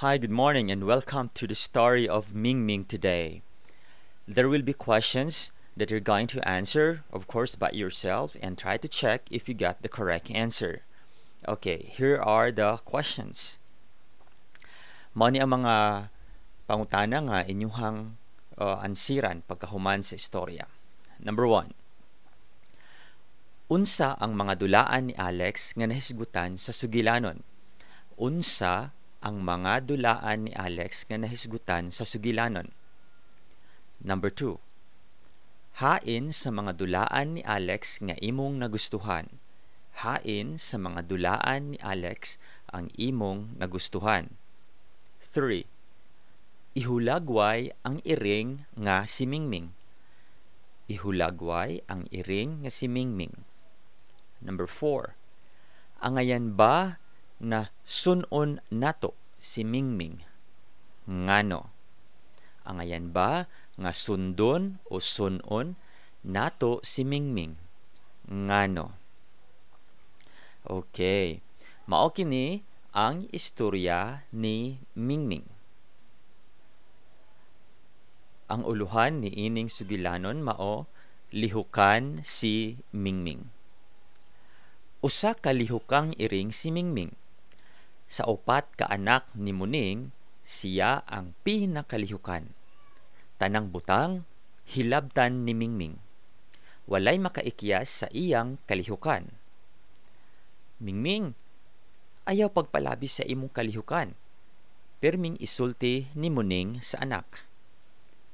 Hi, good morning and welcome to the story of Mingming today. There will be questions that you're going to answer, of course, by yourself and try to check if you got the correct answer. Okay, here are the questions. Mao ni ang mga pangutana nga inyuhang ansiran pagkahuman sa istorya. Number 1. Unsa ang mga dulaan ni Alex nga nahisgutan sa sugilanon? Unsa ang mga dulaan ni Alex nga nahisgutan sa sugilanon? Number 2. Hain sa mga dulaan ni Alex nga imong nagustuhan? Hain sa mga dulaan ni Alex ang imong nagustuhan? 3. Ihulagway ang iring nga si Mingming. Ihulagway ang iring nga si Mingming. Number 4. Angayan ba na sun-on nato si Mingming? Ngano? Angayan ba nga sundon o sun-on nato si Mingming? Ngano? Okay. Mao kini ang istorya ni Mingming. Ang uluhan ni ining sugilanon mao lihukan si Mingming. Usa ka lihukang iring si Mingming. Sa upat ka anak ni Muning, siya ang pinakalihukan. Tanang butang hilabtan ni Mingming. Walay makaikyas sa iyang kalihukan. Mingming, ayaw pagpalabi sa imong kalihukan. Pirming isulti ni Muning sa anak.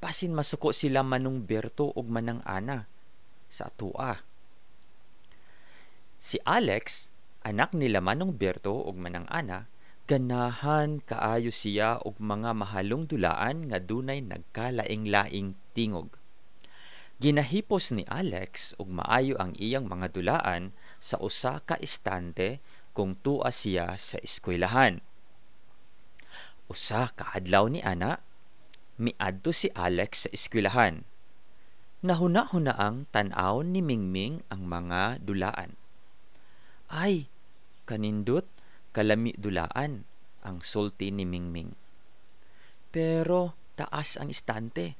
Basin masuko sila Manong Berto ug Manang Ana sa atua. Si Alex, anak nila Manong Berto ug Manang Ana, ganahan kaayo siya og mga mahalong dulaan nga dunay nagkalaing-laing tingog. Ginahipos ni Alex og maayo ang iyang mga dulaan sa usa ka istante kung tua siya sa eskwelahan. Usa ka adlaw ni ana, miadto si Alex sa eskwelahan. Nahuna-hunaang tan-awon ni Mingming ang mga dulaan. Ay, kanindot, kalami dulaan, ang sulti ni Mingming. Pero taas ang istante.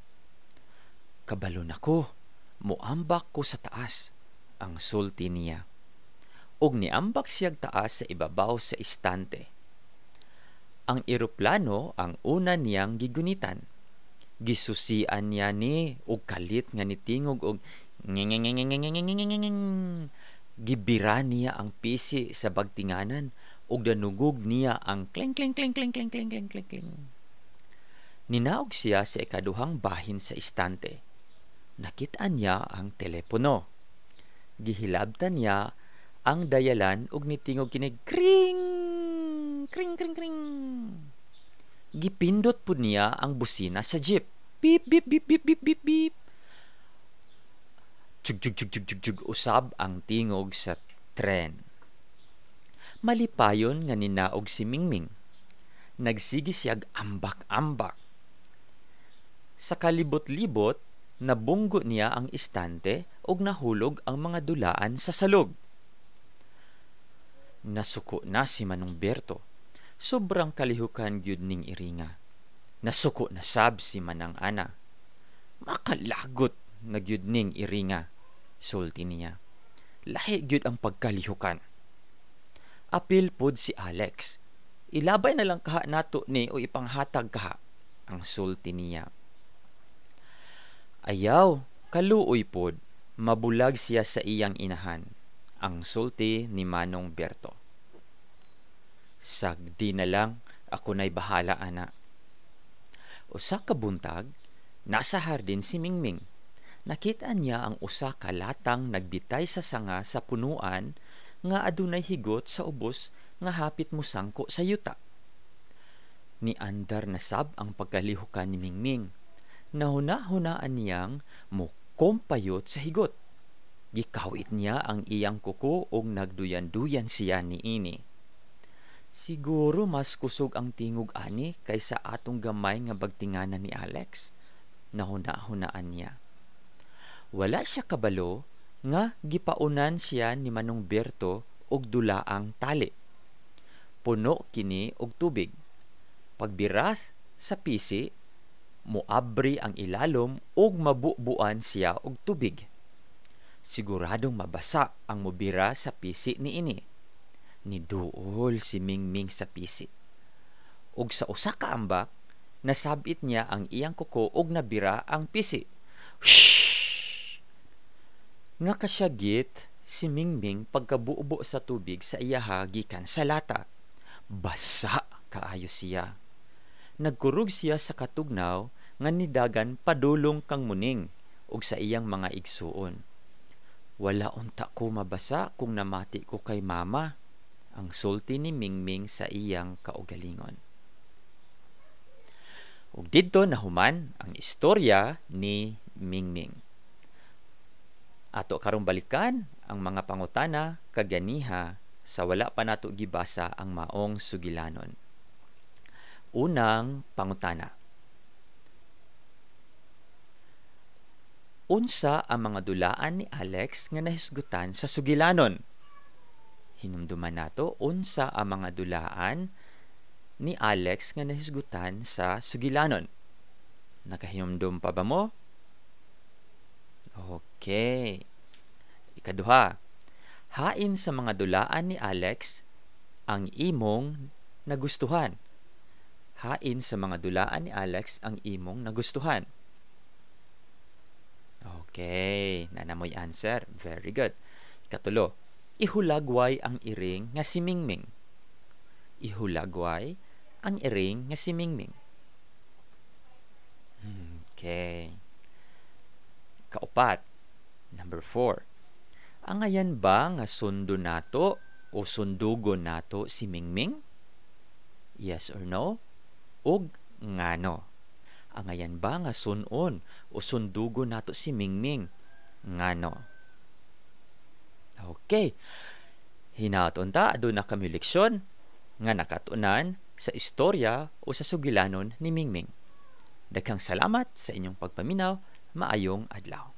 Kabalo na ko, muambak ko sa taas, ang sulti niya. Ug niambak siyag taas sa ibabaw sa istante. Ang eroplano ang una niyang gigunitan. Gisusian niya ni og kalit nga nitingog og ngengengengengengengengengeng. Gibira niya ang pisi sa bagtinganan ug danugog niya ang kling kling kling kling kling kling kling kling kling. Ninaog siya sa ikaduhang bahin sa istante. Nakit-an niya ang telepono. Gihilabtan niya ang dayalan ug nitingog kini kring kring kring kring. Gipindot pud niya ang busina sa jeep. Beep beep beep beep beep beep beep. Tug tug tug tug tug tug usab ang tingog sa tren. Malipayon nga ninaog si Mingming. Nagsige siyag ambak-ambak. Sa kalibot-libot, nabunggo niya ang istante ug nahulog ang mga dulaan sa salog. Nasuko na si Manong Berto. Sobrang kalihukan gyud ning iringa. Nasuko na sab si Manang Ana. Makalagot na gyud ning iringa, sulti niya. Lahi gyud ang pagkalihukan. Apil pod si Alex. Ilabay na lang kaha nato ni o ipanghatag kaha, ang sulti niya. Ayaw, kaluoy pod, mabulag siya sa iyang inahan, ang sulti ni Manong Berto. Sagdi na lang, ako na'y bahala, ana. Usa ka buntag, nasa hardin si Mingming. Nakita niya ang usa ka latang nagbitay sa sanga sa punuan nga adunay higot sa ubos nga hapit mosangko sa yuta. Niandar na sab ang pagkalihukan ni Mingming. Nahuna-hunaan niyang mukumpayot sa higot. Gikawit niya ang iyang kuko ug nagduyan-duyan siya niini. Siguro mas kusog ang tingog ani kaysa atong gamay nga bagtinganan ni Alex, nahuna-hunaan niya. Wala siya kabalo nga gipaunan siya ni Manong Berto og dulaang tali. Puno kini og tubig. Pagbira sa pisi, moabri ang ilalom ug mabubuan siya og tubig. Siguradong mabasa ang mobira sa pisi niini. Niduol si Mingming sa pisi. Ug sa usa ka ambak, nasabit niya ang iyang kuko ug nabira ang pisi. Whoosh! Nga kasyagit si Mingming pagkabubo sa tubig sa iyaha gikan sa lata. Basa kaayo siya. Nagkurog siya sa katugnaw nga nidagan padulong kang Muning ug sa iyang mga igsuon. Wala unta ko mabasa kung namati ko kay mama, ang sulti ni Mingming sa iyang kaugalingon. Ug didto nahuman ang istorya ni Mingming. Ato karong balikan ang mga pangutana kaganiha sa wala pa nato gibasa ang maong sugilanon. Unang pangutana. Unsa ang mga dulaan ni Alex nga nahisgutan sa sugilanon? Hinumduman nato unsa ang mga dulaan ni Alex nga nahisgutan sa sugilanon. Nakahinumdum pa ba mo? Okay. Ikaduha, hain sa mga dulaan ni Alex ang imong nagustuhan. Hain sa mga dulaan ni Alex ang imong nagustuhan. Okay, nanamoy answer. Very good. Ikatulo, ihulagway ang iring nga si Mingming. Ihulagway ang iring nga si Mingming. Okay. Kaupat, number 4. Angayan ba nga sundo nato o sundugon nato si Mingming? Yes or no? Ug ngano? Angayan ba nga sunon o sundugon nato si Mingming? Ngano? Okay. Hinaot unta aduna kami leksyon nga nakatunan sa istorya o sa sugilanon ni Mingming. Daghang salamat sa inyong pagpaminaw. Maayong adlaw.